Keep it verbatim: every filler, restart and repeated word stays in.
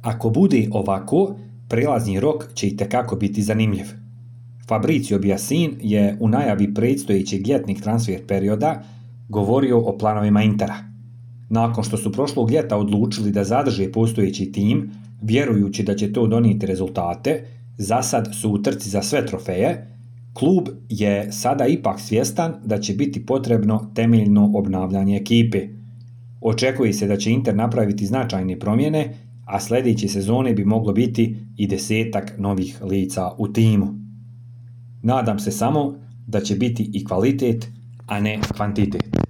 Ako bude ovako, prelazni rok će itekako biti zanimljiv. Fabrizio Biasin je u najavi predstojećeg ljetnih transfer perioda govorio o planovima Intera. Nakon što su prošlog ljeta odlučili da zadrže postojeći tim, vjerujući da će to donijeti rezultate, za sad su u trci za sve trofeje, klub je sada ipak svjestan da će biti potrebno temeljno obnavljanje ekipe. Očekuje se da će Inter napraviti značajne promjene, a sljedeće sezone bi moglo biti i desetak novih lica u timu. Nadam se samo da će biti i kvalitet, a ne kvantitet.